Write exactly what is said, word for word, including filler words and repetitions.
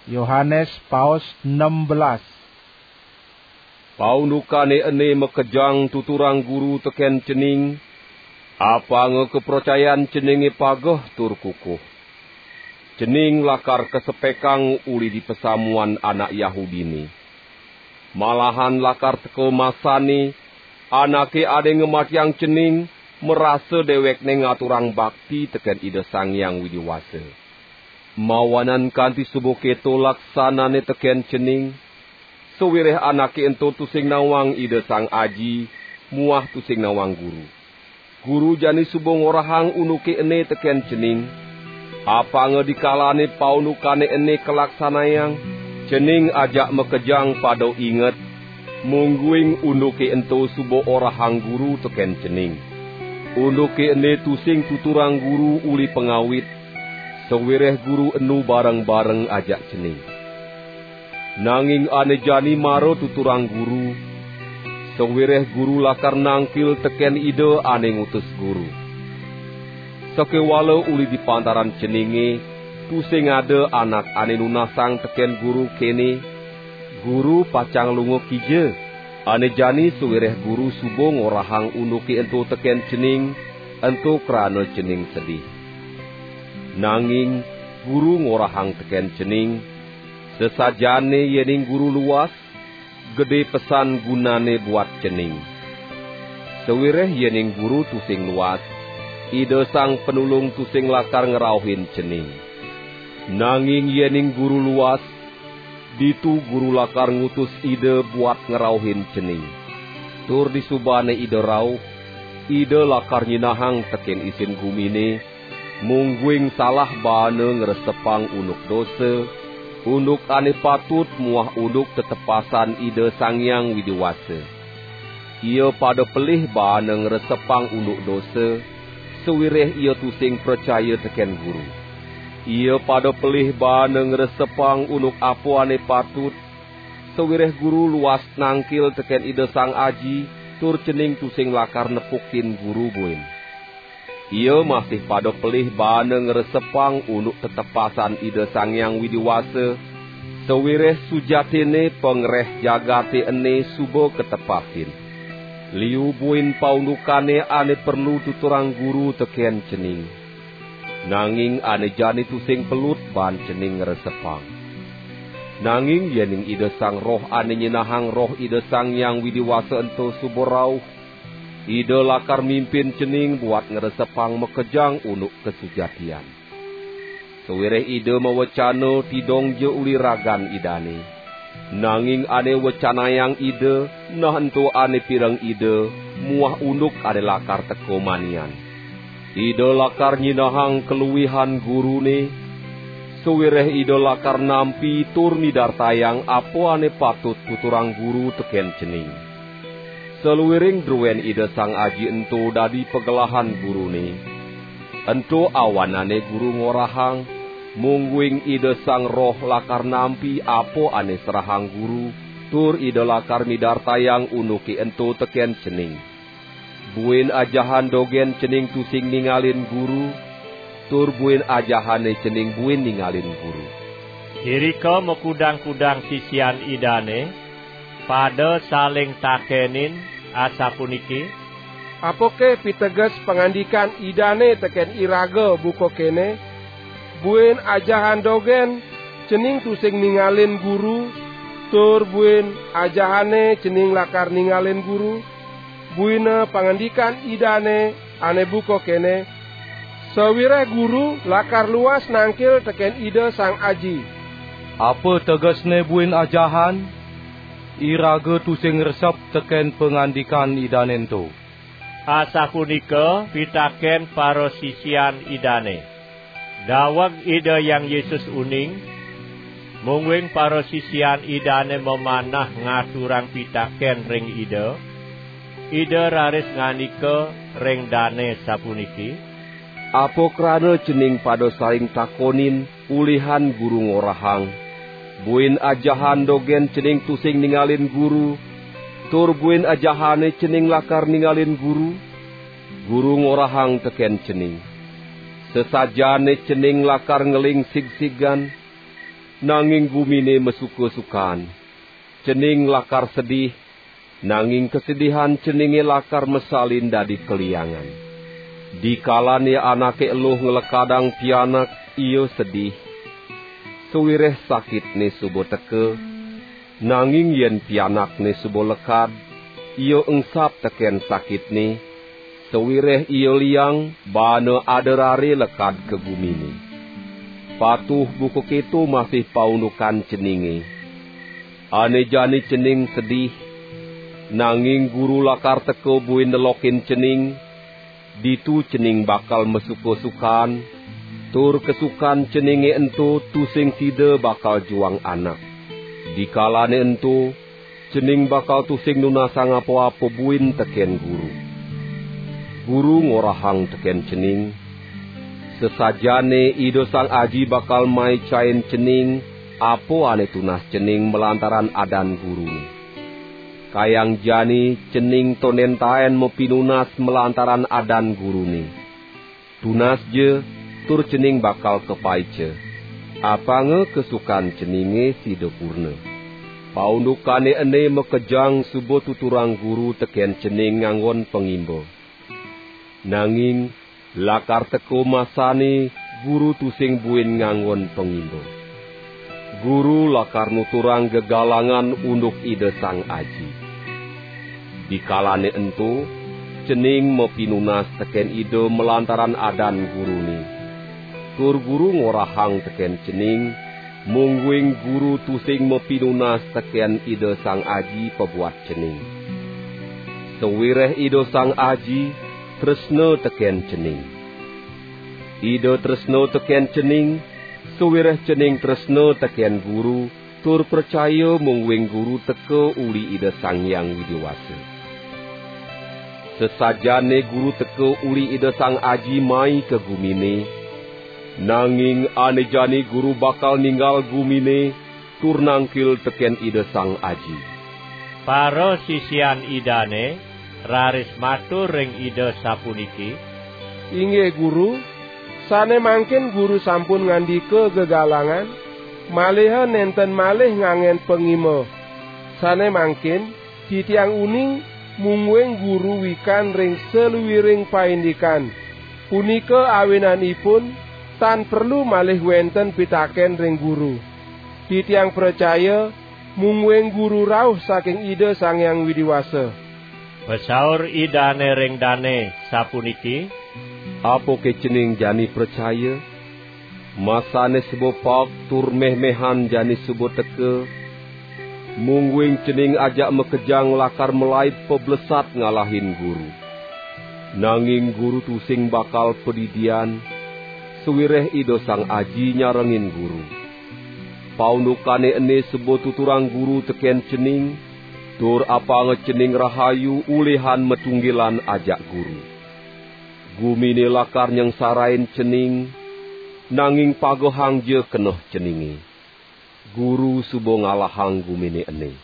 Yohanes paos nem belas. Paundukane ene makejang tuturang Guru teken cening, apanga kapracayan ceninge pageh tur kukuh. Cening lakar kasepekang uli di pasamuan anak Yahudine. Malahan lakar teka masane, anake ane ngamatiang cening, marasa dewekne ngaturang bakti teken Ida Sang Hyang Widi Wasa. Mawanan kanti suba keto laksanane teken cening, sawireh anake ento tusing nawang Ida Sang Aji muah tusing nawang Guru. Guru jani suba ngorahang unduke ene teken cening, apanga dikalane paundukane ene kalaksanayang, cening ajak makejang pada inget, mungguing unduke ento suba orahang Guru teken cening. Unduke ene tusing tuturang Guru uli pangawit, sawireh Guru enu bareng-bareng ajak cening. Nanging ane jani mara tuturang Guru, sawireh Guru lakar nangkil teken Ida ane ngutus Guru. Sakewala uli di pantaran ceninge, tusing ada anak ane nunasang teken Guru kene, "Guru pacang lunga kija?" Ane jani sawireh Guru suba ngorahang unduke ento teken cening, ento krana cening sedih. Nanging Guru ngorahang teken cening, sasajaane yening Guru luas, gede pesan gunane buat cening. Sawireh yening Guru tusing luas, Ida Sang Panulung tusing lakar ngrauhin cening. Nanging yening Guru luas, ditu Guru lakar ngutus Ida buat ngrauhin cening. Tur disubane Ida rauh, Ida lakar nyinahang teken isin gumine, mungguing salah baana ngresepang unduk dosa, unduk ane patut muah unduk tetepasan Ida Sang Hyang Widi Wasa. Ia pada pelih baana ngresepang unduk dosa, sawireh ia tusing pracaya teken Guru. Ia pada pelih baana ngresepang unduk apa ane patut, sawireh Guru luas nangkil teken Ida Sang Aji, tur cening tusing lakar nepukin Guru buin. Ia masih pada pelih baana ngresepang unduk tetepasan Ida Sang Hyang Widi Wasa, sawireh sujatinne pangreh jagate ene suba katepasin. Liu buin paundukane ane perlu tuturang Guru teken cening. Nanging ane jani tusing pelut baan cening ngresepang. Nanging yening Ida Sang Roh ane nyinahang Roh Ida Sang Hyang Widi Wasa ento suba rauh, Ida lakar mimpin cening buat ngresepang makejang unduk kasujatian. Sawireh Ida mawecana tidong ja uli ragan Idane. Nanging ane wecanayang Ida, nah ento ane pireng Ida, muah unduk ane lakar teka manian. Ida lakar nyinahang kaluihan Gurune, sawireh Ida lakar nampi tur midartayang apa ane patut tuturang Guru teken cening. Saluiring druen Ida Sang Aji ento dadi pagelahan Gurune. Ento awanane Guru ngorahang, mungguing Ida Sang Roh lakar nampi apa ane serahang Guru, tur Ida lakar midartayang unduke ento teken cening. Buin ajahan dogen cening tusing ningalin Guru, tur buin ajahane cening buin ningalin Guru. Irika makudang-kudang sisian Idane pada saling takenin asapuniki, "Apake piteges pangandikan Idane teken iraga buka kene, 'Buin ajahan dogen cening tusing ningalin Guru, tur buin ajahane cening lakar ningalin Guru'?" Buina pangandikan Idane ane buka kene, "Sawireh Guru lakar luas nangkil teken Ida Sang Aji." Apa tegesne buin ajahan? Iraga tusing ngresep teken pangandikan Idane ento. Asapunika pitaken parasisian Idane. Daweg Ida Hyang Yesus uning, mungguing parasisian Idane mamanah ngaturang pitaken ring Ida, Ida raris ngandika ring dane sapuniki, "Apa krana cening pada saling takonin ulihan Guru ngorahang, 'Buin ajahan dogen cening tusing ningalin Guru, tur buin ajahane cening lakar ningalin Guru'?" Guru ngorahang teken cening, "Sasajaane cening lakar ngeling sigsigan, nanging gumine masuka-sukan. Cening lakar sedih, nanging kasedihan ceninge lakar masalin dadi kaliangan. Dikalane anake eluh nglekadang pianak, ia sedih, sawireh sakitne suba teka, nanging yen pianakne suba lekad, ia engsap teken sakitne, sawireh ia liang, baana ada rare lekad ka gumine. Patuh buka keto masih paundukan ceninge. Ane jani cening sedih, nanging Guru lakar teka buin nelokin cening, ditu cening bakal masuka-sukan, tur kasukan ceninge ento tusing sida bakal juang anak. Dikalane ento, cening bakal tusing nunasang apa-apa buin teken Guru. Guru ngorahang teken cening, sasajaane Ida Sang Aji bakal maicain cening apa ane tunas cening malantaran adan Gurune. Kayang jani cening tonden taen mapinunas malantaran adan Gurune. Tunasja, tur cening bakal kapaica. Apanga kasukan ceninge sida purna. Paundukane ene makejang suba tuturang Guru teken cening nganggon pangimba. Nanging lakar teka masane Guru tusing buin nganggon pangimba. Guru lakar nuturang gegalangan unduk Ida Sang Aji. Dikalane ento, cening mapinunas teken Ida malantaran adan Gurune. Tur Guru ngorahang teken cening, mungguing Guru tusing mapinunas teken Ida Sang Aji pabuat cening. Sawireh Ida Sang Aji tresna teken cening. Ida tresna teken cening, sawireh cening tresna teken Guru, tur pracaya mungguing Guru teka uli Ida Sang Hyang Widi Wasa. Sasajaane Guru teka uli Ida Sang Aji mai ka gumine, nanging ane jani Guru bakal ninggal gumine tur nangkil teken Ida Sang Aji. Parasisian Idane raris matur ring Ida sapuniki, "Inggih Guru, sane mangkin Guru sampun ngandika gegalangan, maliha nenten malih ngangen pangimba. Sane mangkin titiang uning mungguing Guru wikan ring saluiring paindikan. Punika awinanipun tan perlu malih wenten pitaken ring Guru. Titiang pracaya mungguing Guru rauh saking Ida Sang Hyang Widi Wasa." Pasaur Idane ring dane sapuniki, "Apake cening jani pracaya? Masane suba paek tur mehmehan jani suba teka, mungguing cening ajak makejang lakar malaib pablesat ngalahin Guru. Nanging Guru tusing bakal padidian, sawireh Ida Sang Aji nyarengin Guru. Paundukane ene suba tuturang Guru teken cening, tur apanga cening rahayu ulihan matunggilan ajak Guru. Gumine lakar nyengsarain cening, nanging pagehangja keneh ceninge. Guru suba ngalahang gumine ene."